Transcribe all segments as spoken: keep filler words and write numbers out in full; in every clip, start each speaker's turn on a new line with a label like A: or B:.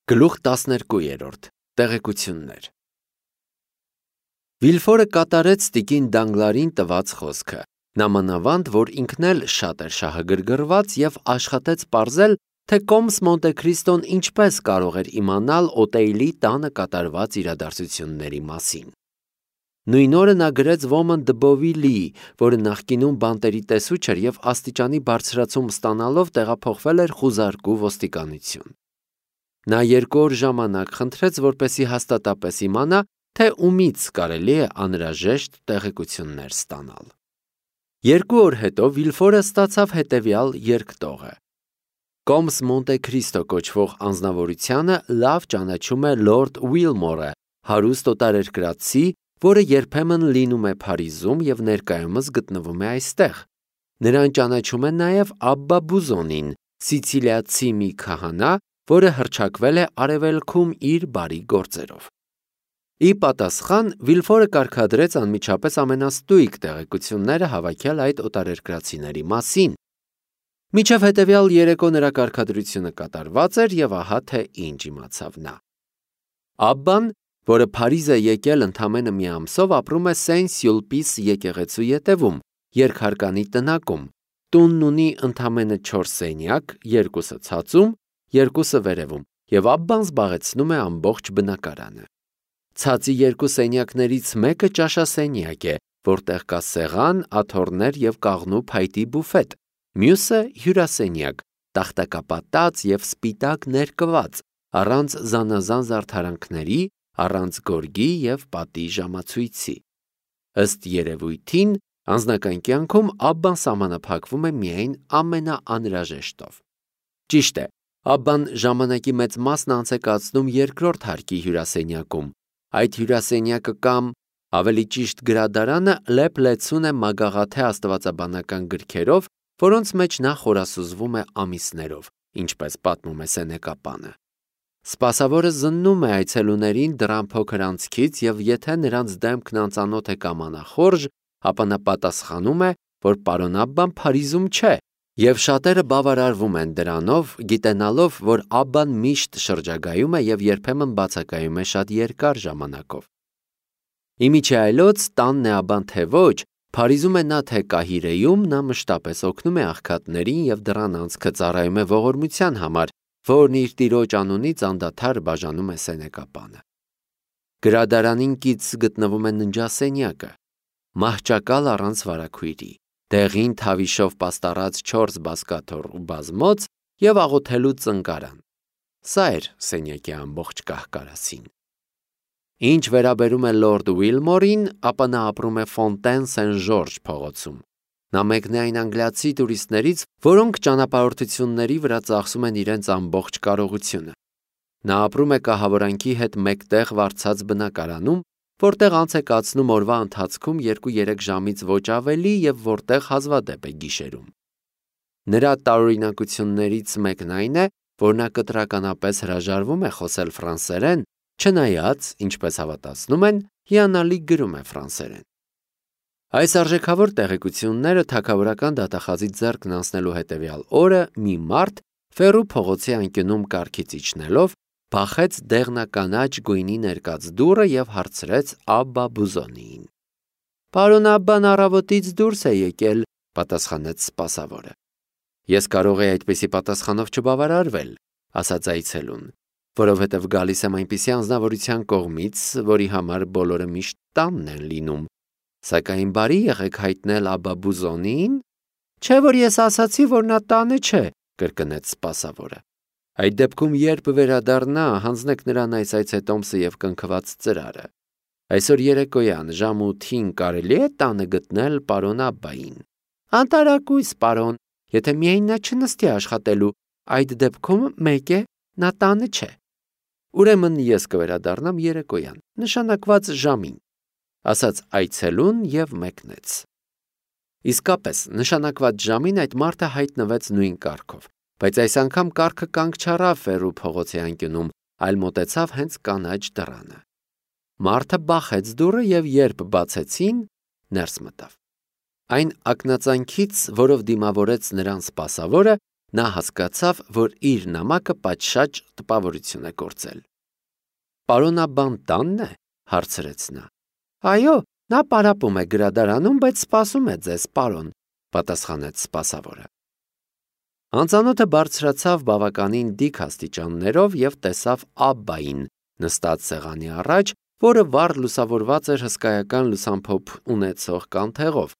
A: Գլուխ տասներկու Տեղեկություններ Վիլֆորը կատարեց տիկին Դանգլարին տված խոսքը, նամանավանդ, որ ինքն էլ շատ էր շահագրգռված և աշխատեց պարզել, թե Կոմս Մոնտե Քրիստոն ինչպես կարող էր իմանալ Օտեյլի տանը կատարված իրադարձությունների մասին։ Նույն օրը նա գրեց Ոմն Դբովիլիի, որը նախկինում բանտերի տեսուչ էր և աստիճանի բարձրացում ստանալով տեղափոխվել էր խուզարկու ոստիկանություն։ Նա երկու օր ժամանակ խնդրեց, որպեսզի հաստատապես իմանա, թե ումից կարելի է անհրաժեշտ տեղեկություններ ստանալ։ Երկու օր հետո Վիլֆորը ստացավ հետևյալ երկտողը. Կոմս Մոնտե Քրիստո կոչվող անձնավորությունը լավ ճանաչում է լորդ Ուիլմորը, հարուստ օտարերկրացի, որը երբեմն լինում է Փարիզում և ներկայումս գտնվում է այստեղ։ Նրան ճանաչում է նաև Աբբա Բուզոնին, սիցիլիացի մի քահանա, որը հռչակվել է Արևելքում իր բարի գործերով։ Ի պատասխան Վիլֆորը կարգադրեց անմիջապես ամենաստույգ տեղեկությունները հավաքել այդ օտարերկրացիների մասին։ Մինչև հետևյալ երեկո նրա կարգադրությունը կատարված էր և ահա թե ինչ իմացավ նա։ Աբբան, որը Փարիզ է եկել ընդամենը մի ամսով, ապրում է Սեն-Սյուլպիս եկեղեցու ետևում, երկհարկանի տնակում։ Տունն ունի ընդամենը չորս սենյակ, երկուսը ցածում, երկուսը վերևում, և Աբբան զբաղեցնում է ամբողջ բնակարանը։ Ցածի երկու սենյակներից մեկը ճաշասենյակ է, որտեղ կա սեղան, աթոռներ և կաղնու փայտի բուֆետ, մյուսը հյուրասենյակ, տախտակապատած և սպիտակ ներկված, առանց զանազան զարդարանքների, առանց գորգի և պատի ժամացույցի։ Ըստ երևույթին, անձնական կյանքում Աբբան սահմանափակվում է միայն ամենաանհրաժեշտով։ Ճիշտ է, Աբբան ժամանակի մեծ մասն անց է կացնում երկրորդ հարկի հյուրասենյակում։ Այդ հյուրասենյակը կամ, ավելի ճիշտ, գրադարանը լեփ-լեցուն է մագաղաթե աստվածաբանական գրքերով, որոնց մեջ նա խորասուզվում է ամիսներով, ինչպես պատմում է սենեկապանը։ Սպասավորը զննում է այցելուներին դռան փոքր անցքից և եթե նրանց դեմքն անծանոթ է կամ անախորժ, ապա նա պատասխանում է, որ պարոն Աբբան Փարիզում չէ, և շատերը բավարարվում են դրանով, գիտենալով, որ Աբբան միշտ շրջագայում է և երբեմն բացակայում է շատ երկար ժամանակով։ Իմիջիայլոց տանն է Աբբան թե ոչ, Փարիզում է նա թե Կահիրեում, նա մշտապես օգնում է աղքատներին և դռան անցքը ծառայում է ողորմության համար, որն իր տիրոջ անունից անդադար բաժանում է սենեկապանը։ Գրադարանին կից գտնվում է ննջասենյակը, մահճակալ առանց վարագույրի, դեղին թավիշով պաստառած չորս բազկաթոռ ու բազմոց և աղոթելու ծնկարան։ Սա էր սենյակի ամբողջ կահ-կարասին։ Ինչ վերաբերում է լորդ Ուիլմորին, ապա նա ապրում է Ֆոնտեն Սեն-Ժորժ փողոցում։ Նա մեկն է այն անգլիացի տուրիստներից, որոնք ճանապարհորդությունների վրա ծախսում են իրենց ամբողջ կարողությունը։ Նա ապրում է կահավորանքի հետ մեկտեղ վարձած բնակարանում, որտեղ անց է կացնում օրվա ընթացքում երկու-երեք ժամից ոչ ավելի և որտեղ հազվադեպ է գիշերում։ Նրա տարօրինակություններից մեկն այն է, որ նա կտրականապես հրաժարվում է խոսել ֆրանսերեն, չնայած, ինչպես հավատացնում են, հիանալի գրում է ֆրանսերեն։ Այս արժեքավոր տեղեկությունները թագավորական դատախազից ձեռքն անցնելու հետևյալ օրը մի մարդ, Ֆեռու փողոցի անկյունում կառքից իջնելով, բախեց դեղնականաչ գույնի ներկած դուռը և հարցրեց Աբբա Բուզոնիին։ «Պարոն Աբբան առավոտից դուրս է եկել», պատասխանեց սպասավորը։ «Ես կարող էի այդպիսի պատասխանով չբավարարվել», ասաց այցելուն, «որովհետև գալիս եմ այնպիսի անձնավորության կողմից, որի համար բոլորը միշտ տանն են լինում։ Սակայն բարի եղեք հայտնել Աբբա Բուզոնիին»։ «Չէ՞ որ ես ասացի, որ նա տանը չէ», կրկնեց սպասավորը։ «Այդ դեպքում երբ վերադառնա, հանձնեք նրան այս այցետոմսը և կնքված ծրարը։ Այսօր երեկոյան ժամը ութին կարելի է տանը գտնել պարոն Աբբային»։ «Անտարակույս, պարոն, եթե միայն նա չնստի աշխատելու, այդ դեպքում մեկ է, նա տանը չէ»։ «Ուրեմն ես կվերադառնամ երեկոյան, նշանակված ժամին», ասաց այցելուն և մեկնեց։ Իսկապես, նշանակված ժամին այդ մարդը հայտնվեց նույն կառքով, բայց այս անգամ կառքը կանգ չառավ Ֆեռու փողոցի անկյունում, այլ մոտեցավ հենց կանաչ դռանը։ Մարդը բախեց դուռը և երբ բացեցին, ներս մտավ։ Այն ակնածանքից, որով դիմավորեց նրան սպասավորը, նա հասկացավ, որ իր նամակը պատշաճ տպավորություն է գործել։ «Պարոն Աբբան տանն է», հարցրեց նա։ «Այո, նա պարապում է գրադարանում, բայց սպասում է ձեզ, պարոն», պատասխանեց սպասավորը։ Անծանոթը բարձրացավ բավականին դիք աստիճաններով և տեսավ Աբբային նստած սեղանի առաջ, որը վառ լուսավորված էր հսկայական լուսամփոփ ունեցող կանթեղով,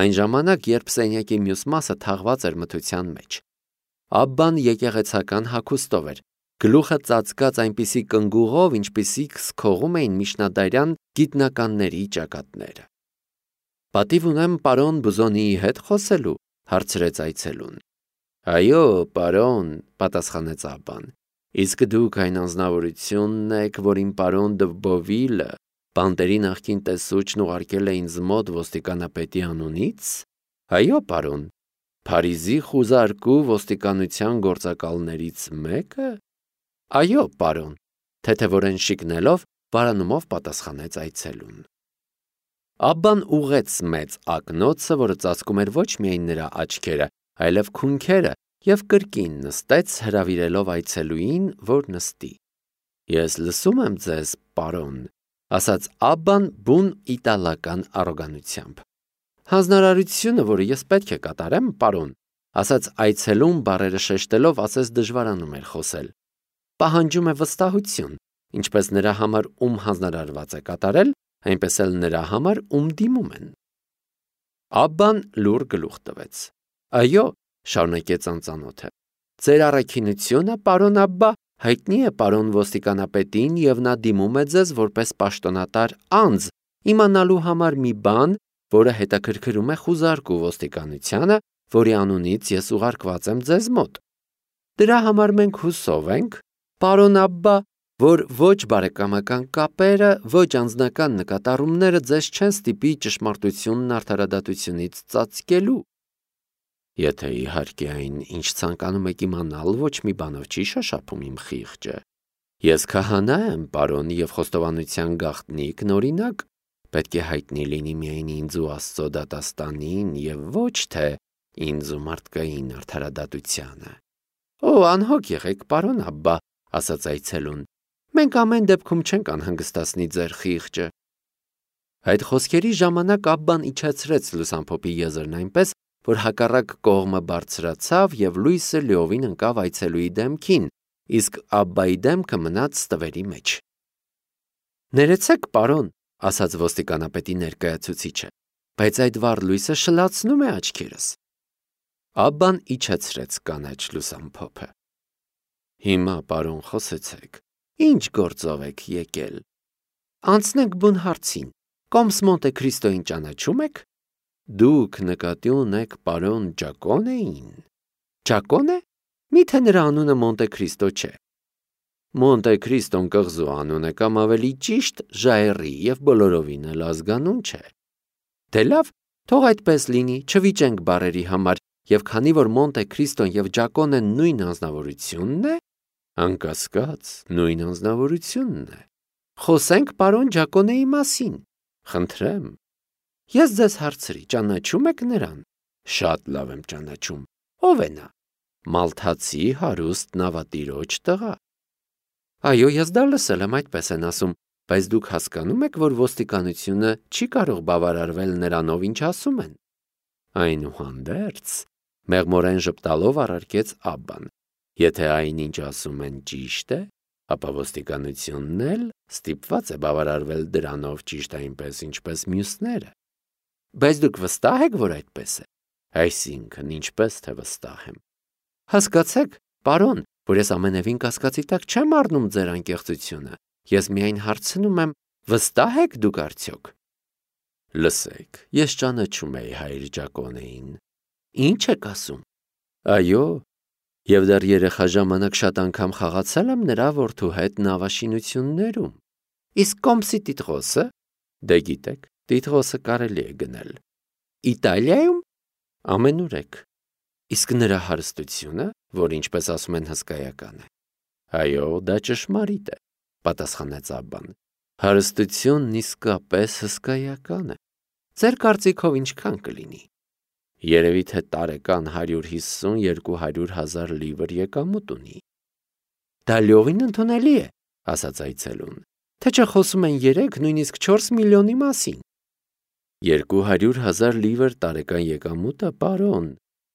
A: այն ժամանակ, երբ սենյակի մյուս մասը թաղված էր մթության մեջ։ Աբբան եկեղեցական հագուստով էր, գլուխը ծածկած այնպիսի կնգուղով, ինչպիսիք սքողում էին միջնադարյան գիտնականների ճակատները։ «Պատիվ ունեմ պարոն Բուզոնիի հետ խոսելու», հարցրեց այցելուն։ «Այո, պարոն», պատասխանեց Աբբան, «իսկ դուք այն անձնավորությունն եք, որին պարոն Դ'Բովիլը, բանտերի նախկին տեսուչն ուղարկել է ինձ մոտ ոստիկանապետի անունից»։ «Այո, պարոն»։ «Փարիզի խուզարկու ոստիկանության գործակալներից մեկը»։ «Այո, պարոն», թեթևորեն շիկնելով, վարանումով պատասխանեց այցելուն։ Աբբան ուղղեց մեծ ակնոցը, որը ծածկում էր ոչ միայն նրա աչքերը, այլև քունքերը, և կրկին նստեց, հրավիրելով այցելուին, որ նստի։ «Ես լսում եմ ձեզ, պարոն», ասաց Աբբան բուն իտալական առոգանությամբ։ «Հանձնարարությունը, որը ես պետք է կատարեմ, պարոն», ասաց այցելուն բառերը շեշտելով, ասես դժվարանում էր խոսել, «պահանջում է վստահություն, ինչպես նրա համար, ում հանձնարարված է կատարել, այնպես էլ նրա համար, ում դիմում են»։ Աբբան լուռ գլուխ տվեց։ «Այո», շարունակեց անծանոթը, «ձեր առաքինությունը, պարոն Աբբա, հայտնի է պարոն ոստիկանապետին, և նա դիմում է ձեզ որպես պաշտոնատար անձ, իմանալու համար մի բան, որը հետաքրքրում է խուզարկու ոստիկանությանը, որի անունից ես ուղարկված եմ ձեզ մոտ։ Դրա համար մենք հուսով ենք, պարոն Աբբա, որ ոչ բարեկամական կապերը, ոչ անձնական նկատառումները ձեզ չեն ստիպի ճշմարտությունն արդարադատությունից ծածկելու։ Եթե իհարկե այն, ինչ ցանկանում եք իմանալ, ոչ մի բանով չի շոշափում իմ խիղճը։ Ես քահանա եմ, պարոն, և խոստովանության գաղտնիքն օրինակ, պետք է հայտնի լինի միայն ինձ ու Աստծո դատաստանին, և ոչ թե ինձ ու մարդկային արդարադատությանը։ Օ, անհոգ եղեք, պարոն Աբբա, ասաց այցելուն, մենք ամեն դեպքում չենք անհանգստացնի ձեր խիղճը։ Այդ խոսքերի ժամանակ Աբբան իջեցրեց լուսամփոփի եզրն այնպես, որ հակառակ կողմը բարձրացավ և լույսը լիովին ընկավ այցելուի դեմքին, իսկ Աբբայի դեմքը մնաց ստվերի մեջ։ «Ներեցեք, պարոն», ասաց ոստիկանապետի ներկայացուցիչը, «բայց այդ վառ լույսը շլացնում է աչքերս»։ Աբբան իջեցրեց կանաչ լուսամփոփը։ «Հիմա, պարոն, խոսեցեք, ի՞նչ գործով եք եկել»։ «Անցնենք բուն հարցին, Կոմս Մոնտե Քրիստոյին ճանաչում եք»։ «Դուք նկատի ունեք պարոն Ջակոնեին»։ «Ջակոնե՞։ Մի՞թե նրա անունը Մոնտե Քրիստո չէ»։ «Մոնտե Քրիստոն կղզու անուն է, կամ ավելի ճիշտ ժայռի, և բոլորովին էլ ազգանուն չէ»։ «Դե լավ, թող այդպես լինի, չվիճենք բառերի համար, և քանի որ Մոնտե Քրիստոն և Ջակոնեն նույն անձնավորությունն է»։ «Անկասկած, նույն անձնավորությունն է»։ «Խոսենք պարոն Ջակոնեի մասին, խնդրեմ»։ «Ես ձեզ հարցրի, ճանաչում եք նրան»։ «Շատ լավ եմ ճանաչում»։ «Ով է նա»։ «Մալթացի հարուստ նավատիրոջ տղա»։ «Այո, ես դա լսել եմ, այդպես են ասում, բայց դուք հասկանում եք, որ ոստիկանությունը չի կարող բավարարվել նրանով, ինչ ասում են»։ «Այնուհանդերձ», մեղմորեն ժպտալով առարկեց Աբբան, «եթե այն, ինչ ասում են, ճիշտ է, ապա ոստիկանությունն էլ ստիպված է բավարարվել դրանով ճիշտ այնպես, ինչպես մյուսները»։ «Բայց դուք վստահ եք, որ այդպես է»։ «Այսինքն, ինչպես թե վստահ եմ»։ «Հասկացեք, պարոն, որ ես ամենևին կասկածի տակ չեմ առնում ձեր անկեղծությունը, ես միայն հարցնում եմ, վստահ եք դուք արդյոք»։ «Լսեք, ես ճանաչում էի հայր Ջակոնեին»։ «Ի՞նչ եք ասում»։ «Այո, և դեռ երեխա ժամանակ շատ անգամ խաղացել եմ նրա որդու հետ նավաշինություններում»։ «Իսկ Կոմսի տիտղոսը»։ «Դե գիտեք, տիտղոսը կարելի է գնել»։ «Իտալիայում»։ «Ամենուրեք»։ «Իսկ նրա հարստությունը, որ ինչպես ասում են հսկայական է»։ «Այո, դա ճշմարիտ է», պատասխանեց Աբբան, «հարստությունն իսկապես հսկայական է»։ «Ձեր կարծիքով ինչքան կլինի»։ Երևի թե տարեկան հարյուր հիսուն-երկու հարյուր հազար լիվր եկամուտ ունի։ Դա լիովին ընդունելի է, ասաց այցելուն, թե չէ խոսում են երեք, նույնիսկ չորս միլիոնի մասին։ Երկու հարյուր հազար լիվր տարեկան եկամուտը, պարոն,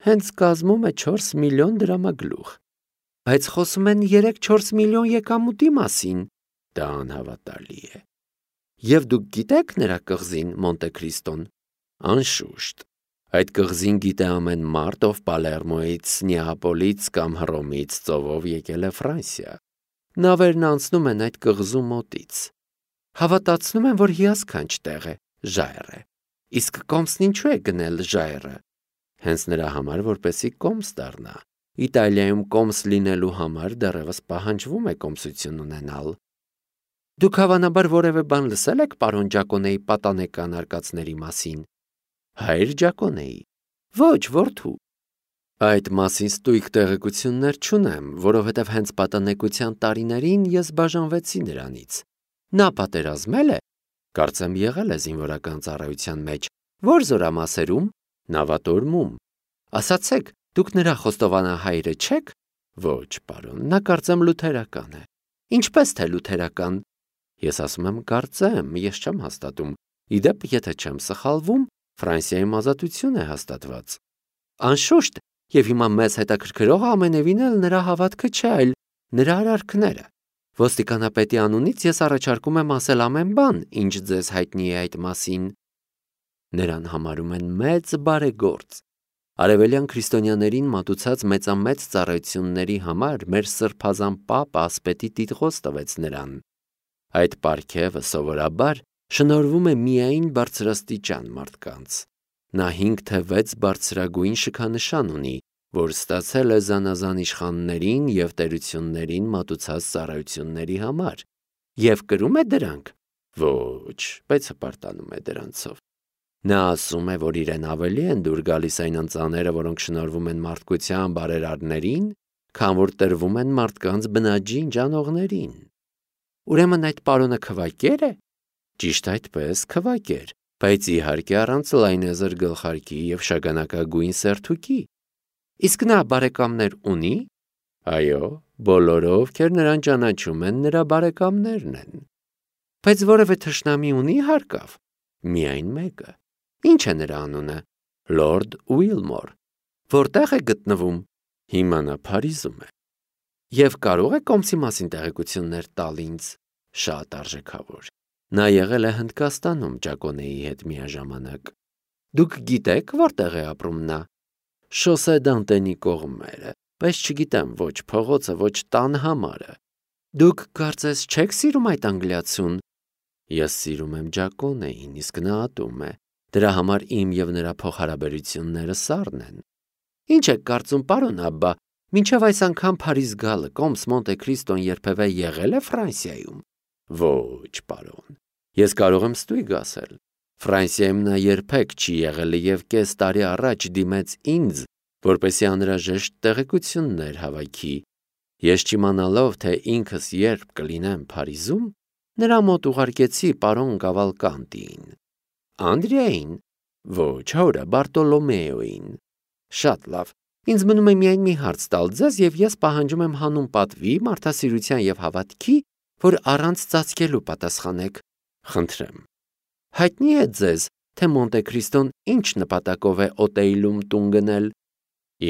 A: հենց կազմում է չորս միլիոն դրամագլուխ, բայց խոսում են երեք-չորս միլիոն եկամուտի մասին, դա անհավատալի է։ Եվ դուք գիտեք նրա կղզին Մոնտե Քրիստոն։ Անշուշտ, այդ կղզին գիտե ամեն մարդ, ով Պալերմոյից, Նեապոլից կամ Հռոմից ծովով եկել է Ֆրանսիա։ Նավերն անցնում են այդ կղզու մոտից։ Հավատացնում են, որ հիասքանչ տեղ է, ժայռ է։ Իսկ կոմսն ինչու է գնել ժայռը։ Հենց նրա համար, որպեսզի կոմս դառնա։ Իտալիայում կոմս լինելու համար դեռևս պահանջվում է կոմսություն ունենալ։ Դուք հավանաբար որևէ բան լսել եք պարոն Ջակոնեի պատանեկան արկածների մասին։ Հայր Ջակոնեի։ Ոչ, որդու։ Այդ մասին ստույգ տեղեկություններ չունեմ, որովհետև հենց պատանեկության տարիներին ես բաժանվեցի նրանից։ Նա պատերազմել է, կարծեմ եղել է զինվորական ծառայության մեջ, որ զորամասերում, նավատորմում։ Ասացեք, դուք նրա խոստովանահայրը չեք։ Ոչ, պարոն, նա կարծեմ լութերական է։ Ինչպես թե լութերական։ Ես ասում եմ կարծեմ, ես չեմ հաստատում։ Իդեպ, եթե չեմ սխալվում, Ֆրանսիայում ազատություն է հաստատված։ Անշուշտ, եւ հիմա մեզ հետաքրքրողը ամենևին էլ նրա հավատքը չէ, այլ նրա արարքները։ Ոստիկանապետի անունից ես առաջարկում եմ ասել ամեն բան, ինչ ձեզ հայտնի է այդ մասին։ Նրան համարում են մեծ բարեգործ։ Արևելյան քրիստոնյաներին մատուցած մեծամեծ ծառայությունների համար մեր սրբազան պապը ասպետի տիտղոս տվեց նրան։ Այդ պարգևը սովորաբար շնորհվում է միայն բարձրաստիճան մարդկանց։ Նա հինգ թե վեց բարձրագույն շքանշան ունի, որ ստացել է զանազան իշխաններին և տերություններին մատուցած ծառայությունների համար, և կրում է դրանք։ Ոչ, բայց հպարտանում է դրանցով։ Նա ասում է, որ իրեն ավելի են դուր գալիս այն ընծաները, որոնք շնորհվում են մարդկության բարերարներին, քան որ տրվում են մարդկանց բնաջին ջանողներին։ Ուրեմն այդ պարոնը քվակե՞ր է։ Ճիշտ այդպես, քվակեր, բայց իհարկե առանց լայնեզր գլխարկի և շագանակագույն սերթուկի։ Իսկ նա բարեկամներ ունի։ Այո, բոլորը, ովքեր նրան ճանաչում են, նրա բարեկամներն են։ Բայց որևէ թշնամի ունի հարկավ։ Միայն մեկը։ Ինչ է նրա անունը։ Լորդ Ուիլմոր։ Որտեղ է գտնվում։ Հիմա նա Փարիզում է։ Եվ կարող է կոմսի մասին տեղեկություններ տալ ինձ։ Շատ արժեքավոր։ Նա եղել է Հնդկաստանում Ջակոնեի հետ միաժամանակ։ Դուք գիտեք, որտեղ է ապրում նա։ Շոսե Դանտենի կողմերը, բայց չգիտեմ ոչ փողոցը, ոչ տան համարը։ Դուք կարծես չեք սիրում այդ անգլիացուն։ Ես սիրում եմ Ջակոնեին, իսկ նա ատում է։ Դրա համար իմ և նրա փոխհարաբերությունները սառն են։ Ինչ եք կարծում, պարոն Աբբա, մինչև այս անգամ Փարիզ գալը կոմս Մոնտե Քրիստոն երբևէ եղել է Ֆրանսիայում։ Ոչ, պարոն։ Ես կարող եմ ստույգ ասել։ Ֆրանսիայում նա երբեք չի եղել և կես տարի առաջ դիմեց ինձ, որպեսզի անհրաժեշտ տեղեկություններ հավաքի։ Ես չիմանալով, թե ինքս երբ կլինեմ Փարիզում, նրա մոտ ուղարկեցի պարոն Կավալկանտիին։ Անդրեային։ Ոչ, հորը Բարտոլոմեոին։ Շատ լավ։ Ինձ մնում է միայն մի հարց տալ ձեզ, և ես պահանջում եմ հանուն պատվի, մարդասիրության և հավատքի, որ առանց ծածկելու պատասխանեք։ Խնդրեմ։ Հայտնի է ձեզ, թե Մոնտե Քրիստոն ինչ նպատակով է Օտեյլում տուն գնել։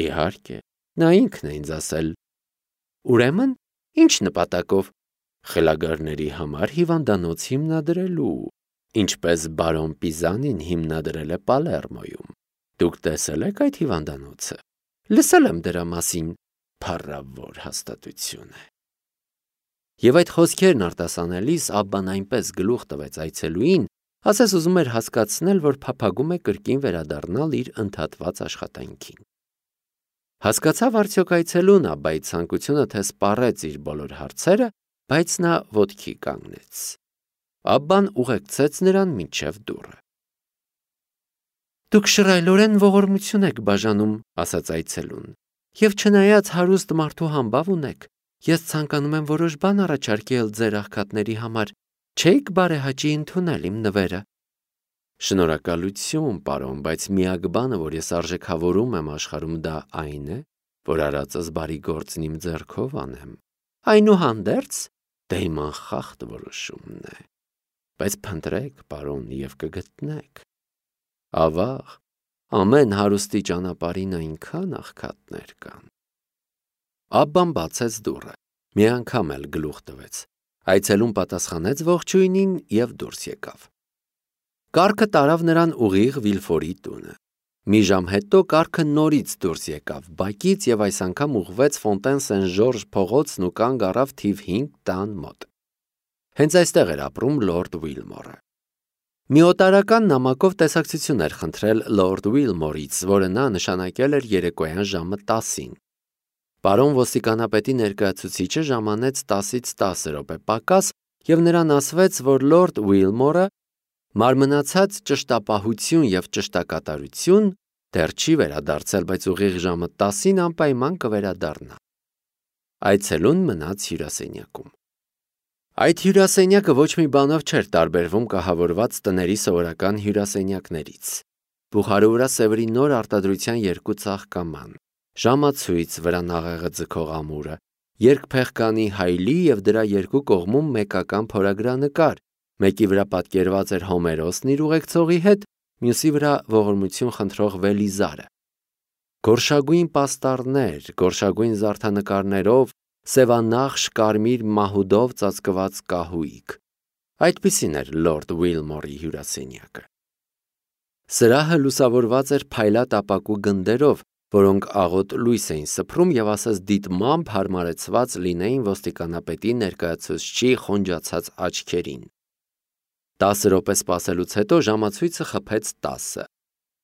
A: Իհարկե, նա ինքն է ինձ ասել։ Ուրեմն, ինչ նպատակով։ Խելագարների համար հիվանդանոց հիմնադրելու, ինչպես բարոն Պիզանին հիմնադրել է Պալերմոյում։ Դուք տեսել եք այդ հիվանդանոցը։ Լսել եմ դրա մասին։ Փառավոր հաստատություն է։ Եվ այդ խոսքերն արտասանելիս Աբբան այնպես գլուխ տվեց այցելուին, ասես ուզում էր հասկացնել, որ փափագում է կրկին վերադառնալ իր ընդհատված աշխատանքին։ Հասկացավ արդյոք այցելուն Աբբայի ցանկությունը, թե սպառեց իր բոլոր հարցերը, բայց նա ոտքի կանգնեց։ Աբբան ուղեկցեց նրան մինչև դուռը։ Դուք շռայլորեն ողորմություն եք բաժանում, ասաց այցելուն, և չնայած հարուստ մարդու համբավ ունեք, ես ցանկանում եմ որոշ բան առաջարկել ձեր աղքատների համար, չէիք բարեհաճի ընդունել իմ նվերը։ Շնորհակալություն, պարոն, բայց միակ բանը, որ ես արժեքավորում եմ աշխարհում, դա այն է, որ արածս բարի գործն իմ ձեռքով անեմ։ Այնուհանդերձ, դա իմ անխախտ որոշումն է։ Բայց փնտրեք, պարոն, եւ կգտնեք։ Ավաղ, ամեն հարուստի ճանապարհին այնքան աղքատներ կան։ Աբբան բացեց դուռը, մի անգամ էլ գլուխ տվեց։ Այցելուն պատասխանեց ողջույնին եւ դուրս եկավ։ Կառքը տարավ նրան ուղիղ Վիլֆորի տունը։ Մի ժամ հետո կառքը նորից դուրս եկավ բակից եւ այս անգամ ուղղվեց Ֆոնտեն Սեն-Ժորժ փողոցն ու կանգ առավ թիվ հինգ տան մոտ։ Հենց այստեղ էր ապրում լորդ Ուիլմորը։ Մի օտարական նամակով տեսակցություն էր խնդրել լորդ Ուիլմորից, որը նա նշանակել էր երեկոյան ժամը տասին։ Պարոն ոստիկանապետի ներկայացուցիչը ժամանեց տասից տասը րոպե պակաս եւ նրան ասվեց, որ լորդ Ուիլմորը մարմնացած ճշտապահություն եւ ճշտակատարություն դեռ չի վերադարձել, բայց ուղիղ ժամը տասին անպայման կվերադառնա։ Այցելուն մնաց հյուրասենյակում։ Այդ հյուրասենյակը ոչ մի բանով չէր տարբերվում կահավորված տների սովորական հյուրասենյակներից։ Բուխարու վրա սևերի նոր արտադրության երկու ծաղկաման, ժամացույց վրա նաղեղը ձգող ամուրը, երկփեղկանի հայլի եւ դրա երկու կողմում մեկական փորագրանկար, մեկի վրա պատկերված էր Հոմերոսն իր ուղեկցողի հետ, մյուսի վրա ողորմություն խնդրող Վելիզարը։ Գորշագույն պաստառներ, գորշագույն զարդանկարներով, սևանախշ կարմիր մահուդով ծածկված կահույք։ Այդպիսին էր լորդ Ուիլմորի հյուրասենյակը։ Սրահը լուսավորված էր փայլատ ապակու գնդերով, որոնք աղոտ լույս էին սփռում եւ ասես դիտմամբ հարմարեցված լինեին ոստիկանապետի ներկայացուցչի խոնջացած աչքերին։ Տասը րոպե սպասելուց հետո ժամացույցը խփեց տասը։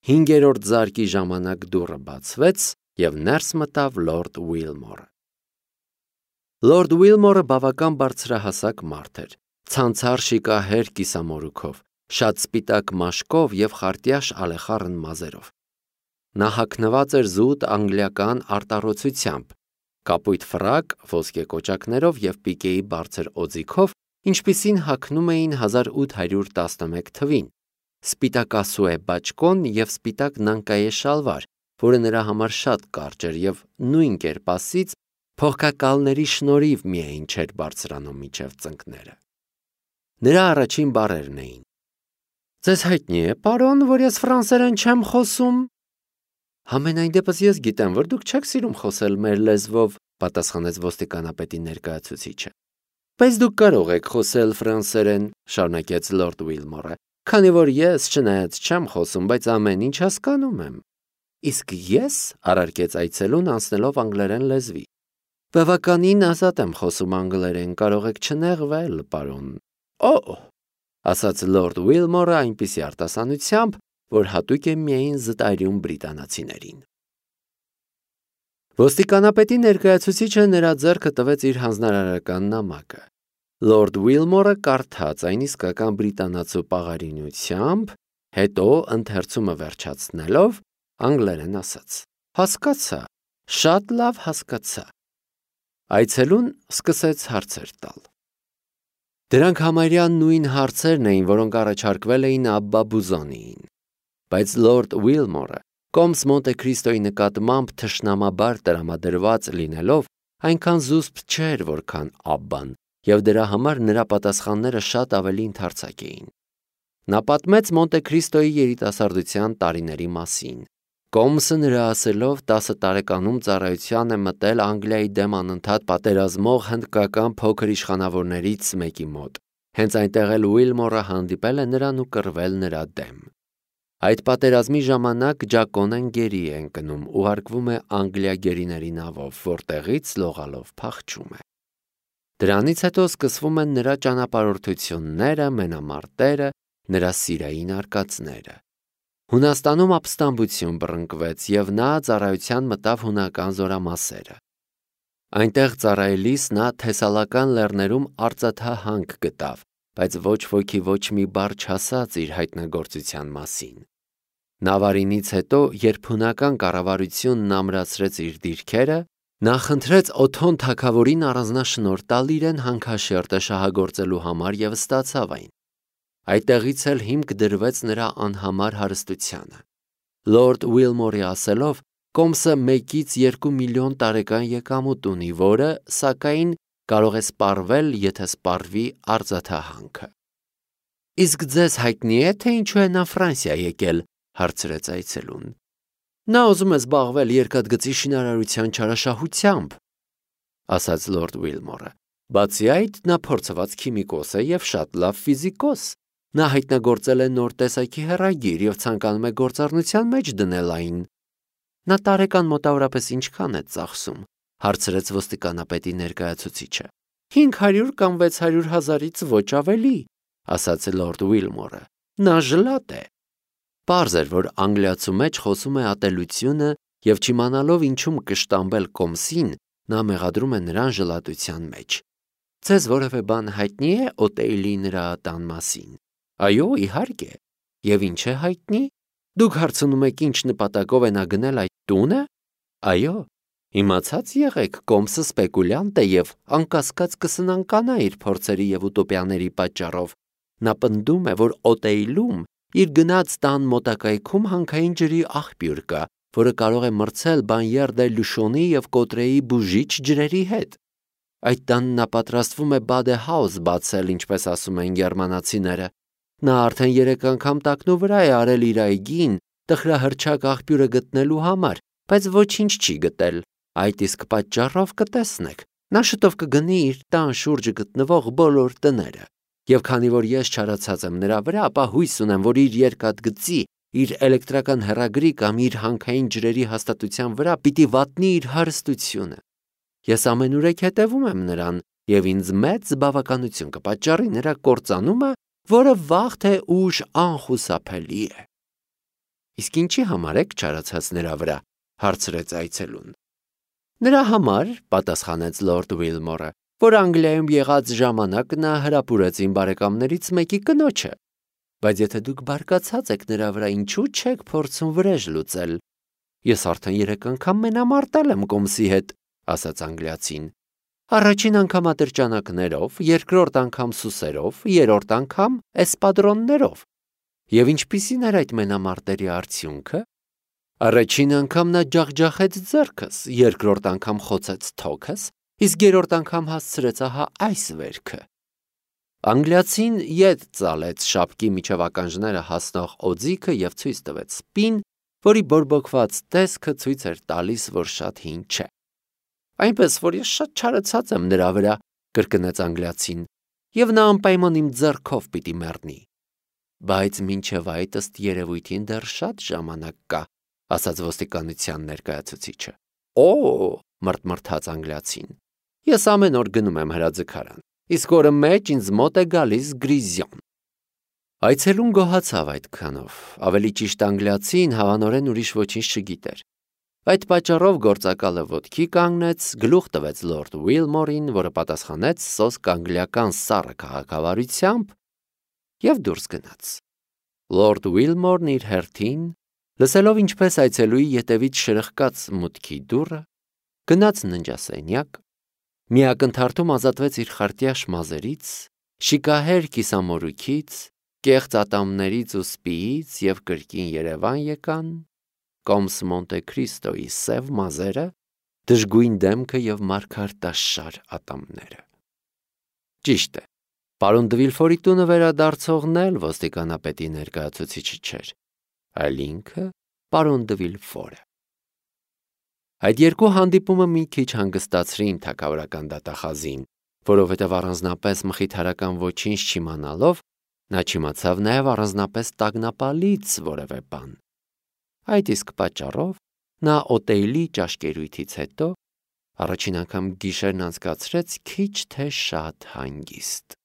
A: Հինգերորդ զարկի ժամանակ դուռը բացվեց եւ ներս մտավ լորդ Ուիլմորը։ Լորդ Ուիլմորը բավական բարձրահասակ մարդ էր, ցանցառ շիկահեր կիսամորուքով, շատ սպիտակ մաշկով եւ խարտյաշ ալեխառն մազերով։ Նա հագնված էր զուտ անգլիական արտառոցությամբ, կապույտ ֆրակ, ոսկե կոճակներով եւ պիկեի բարձր օձիքով, ինչպիսին հագնում էին հազար ութ հարյուր տասնմեկ թվին, սպիտակասուե բաճկոն եւ սպիտակ նանկայե շալվար, որը նրա համար շատ կարճ էր եւ նույն կերպասից փողկակալների շնորհիվ միայն չէր բարձրանում միջև ծնկները։ Նրա առաջին բառերն էին. «Ձեզ հայտնի է, պարոն, որ ես ֆրանսերեն չեմ խոսում»։ «Համենայն դեպս ես գիտեմ, որ դուք չեք սիրում խոսել մեր լեզվով», պատասխանեց ոստիկանապետի ներկայացուցիչը։ «Բայց դուք կարող եք խոսել ֆրանսերեն», շարունակեց լորդ Ուիլմորը, «քանի որ ես, չնայած չեմ խոսում, բայց ամեն ինչ հասկանում եմ»։ «Իսկ ես», առարկեց այցելուն անցնելով անգլերեն լեզվի, «բավականին ազատ եմ խոսում անգլերեն, կարող եք չնեղվել, պարոն»։ «Օ՜», ասաց լորդ Ուիլմորը այնպիսի արտասանությամբ, որ հատուկ է միայն զտարյուն բրիտանացիներին։ Ոստիկանապետի ներկայացուցիչը նրա ձեռքը տվեց իր հանձնարարական նամակը։ Լորդ Ուիլմորը կարդաց այն իսկական բրիտանացու պաղարինությամբ, հետո ընթերցումը վերջացնելով անգլերեն ասաց. «Հասկացա, շատ լավ հասկացա»։ Այցելուն սկսեց հարցեր տալ։ Դրանք համարյա նույն հարցերն էին, որոնք առաջարկվել էին Աբբա Բուզոնիին, բայց լորդ Ուիլմորը Կոմս Մոնտե Քրիստոյի նկատմամբ թշնամաբար տրամադրված լինելով այնքան զուսպ չէր, որքան Աբբան, եւ դրա համար նրա պատասխանները շատ ավելի ընդարձակ էին։ Նա պատմեց Մոնտե Քրիստոյի երիտասարդության տարիների մասին։ Կոմսը նրա ասելով տասը տարեկանում ծառայության է մտել Անգլիայի դեմ անընդհատ պատերազմող հնդկական փոքր իշխանավորներից մեկի մոտ։ Հենց այնտեղ էլ Ուիլմորը հանդիպել է նրան ու կռվել նրա դեմ։ Այդ պատերազմի ժամանակ Ջակոնեն գերի է ընկնում, ուղարկվում է Անգլիա գերիների նավով, որտեղից լողալով փախչում է։ Դրանից հետո սկսվում են նրա ճանապարհորդությունները, մենամարտերը, նրա սիրային արկածները։ Հունաստանում ապստամբություն բռնկվեց եւ նա ծառայության մտավ հունական զորամասերը։ Այնտեղ ծառայելիս նա Թեսալական լեռներում արծաթահանք գտավ, բայց ոչ ոքի ոչ մի բառ չասաց իր հայտնագործության մասին։ Նավարինից հետո, երբ հունական կառավարությունն ամրացրեց իր դիրքերը, նա խնդրեց Օթոն թագավորին առանձնաշնորհ տալ իրեն հանքաշերտը շահագործելու համար եւ ստացավ այն։ Այդտեղից էլ հիմք դրվեց նրա անհամար հարստությանը։ Լորդ Ուիլմորի ասելով, Կոմսը մեկից երկու միլիոն տարեկան եկամուտ ունի, որը, սակայն, կարող է սպառվել, եթե սպառվի արձաթահանքը։ Իսկ ձեզ հայտնի է, թե ինչու է նա Ֆրանսիա եկել, հարցրեց այցելուն։ Նա ուզում է զբաղվել երկաթգծի շինարարության չարաշահությամբ, ասաց լորդ Ուիլմորը։ Բացի այդ, նա փորձված քիմիկոս է եւ շատ լավ ֆիզիկոս։ Նա հայտնագործել է նոր տեսակի հեռագիր եւ ցանկանում է գործառնության մեջ դնել այն։ Նա տարեկան մոտավորապես ինչքան է ծախսում, հարցրեց ոստիկանապետի ներկայացուցիչը։ Հինգ հարյուր կամ վեց հարյուր հազարից ոչ ավելի, ասաց լորդ Ուիլմորը։ Նա ժլատ է։ Պարզ էր, որ անգլիացու մեջ խոսում է ատելությունը եւ չիմանալով ինչում կշտամբել Կոմսին, նա մեղադրում է նրան ժլատության մեջ։ Ձեզ որևէ բան հայտնի է Օտեյլի նրա տան մասին։ Այո, իհարկե։ Եվ ինչ է հայտնի։ Դուք հարցնում եք ինչ նպատակով է նա գնել այդ տունը։ Այո, իմացած եղեք, Կոմսը սպեկուլյանտ է եւ անկասկած կսնանկանա իր փորձերի եւ ուտոպիաների պատճառով։ Նա պնդում է, որ Օտեյլում իր գնաց տան մոտակայքում հանքային ջրի աղբյուր կա, որը կարող է մրցել Բանյեր դե Լուշոնի եւ Կոտրեի բուժիչ ջրերի հետ։ Այդ տանն նա պատրաստվում է Բադե Հաուս բացել, ինչպես ասում են գերմանացիները։ Նա արդեն երեք անգամ տակնու վրա է արել իր այգին տխրահրճակ աղբյուրը գտնելու համար, բայց ոչինչ չի գտել։ Այդ իսկ պատճառով կտեսնեք։ Նա շուտով կգնի իր տան շուրջը գտնվող բոլոր տները։ Եվ քանի որ ես չարացած եմ նրա վրա, ապա հույս ունեմ, որ իր երկաթգծի, իր էլեկտրական հեռագրի կամ իր հանքային ջրերի հաստատության վրա պիտի վատնի իր հարստությունը։ Ես ամենուրեք հետևում եմ նրան, եւ ինձ մեծ բավականություն կպատճառի նրա կործանումը, որը վաղ թե ուշ անխուսափելի է։ Իսկ ինչի համար եք չարացած նրա վրա, հարցրեց այցելուն։ Նրա համար, պատասխանեց լորդ Ուիլմորը, որ Անգլիայում եղած ժամանակ նա հրապուրեց իմ բարեկամներից մեկի կնոջը։ Բայց եթե դուք բարկացած եք նրա վրա, ինչու չեք փորձում վրեժ լուծել։ Ես արդեն երեք անգամ մենամարտել եմ Կոմսի հետ, ասաց անգլիացին։ Առաջին անգամ ատրճանակներով, երկրորդ անգամ սուսերով, երրորդ անգամ էսպադրոններով։ Եվ ինչպիսին էր այդ մենամարտերի արդյունքը։ Առաջին անգամ նա ջախջախեց ձեռքս, երկրորդ անգամ խոցեց թոքս, իսկ երրորդ անգամ հասցրեց ահա այս վերքը։ Անգլիացին ետ ծալեց շապկի միջև ականջները հասնող օձիքը եւ ցույց տվեց սպին, որի բորբոքված տեսքը ցույց էր տալիս, որ շատ հին չէ։ Այնպես որ ես շատ չարացած եմ նրա վրա, կրկնեց անգլիացին, եւ նա անպայման իմ ձեռքով պիտի մեռնի։ Բայց մինչև այդ ըստ երևույթին դեռ շատ ժամանակ կա, ասաց ոստիկանության ներկայացուցիչը։ Օ, մռթմռթաց անգլիացին։ Ես ամեն օր գնում եմ հրաձգարան, իսկ օրը մեջ ինձ մոտ է գալիս Գրիզիոն։ Այցելուն գոհացավ այդքանով, ավելի ճիշտ անգլիացին հավանորեն ուրիշ ոչինչ չգիտեր։ Այդ պատճառով գործակալը ոտքի կանգնեց, գլուխ տվեց լորդ Ուիլմորին, որը պատասխանեց սոսկ անգլիական սառը քաղաքավարությամբ եւ դուրս գնաց։ Լորդ Ուիլմորն իր հերթին, լսելով ինչպես այցելուի ետևից շրխկաց մուտքի դուռը, գնաց ննջասենյակ, մի ակնթարթում ազատվեց իր խարտյա շմազերից, շիկահեր կիսամորուքից, կեղծ ատամներից ու սպիից եւ կրկին Երևան եկան, Կոմս Մոնտե Քրիստոյի սև մազերը, դժգույն դեմքը եւ մարգարտաշար ատամները։ Ճիշտ է, պարոն Դվիլֆորի տունը վերադարձողն էլ ոստիկանապետի ներկայացուցիչը չէր, այլ ինքը պարոն Դվիլֆորը։ Այդ երկու հանդիպումը մի քիչ հանգստացրին թագավորական դատախազին, որովհետև առանձնապես մխիթարական ոչինչ չիմանալով, նա չիմացավ նաև առանձնապես տագնապալից որևէ բան։ Այդ իսկ պատճառով նա Օտեյլի ճաշկերույթից հետո առաջին անգամ գիշերն անցկացրեց քիչ թե շատ հանգիստ։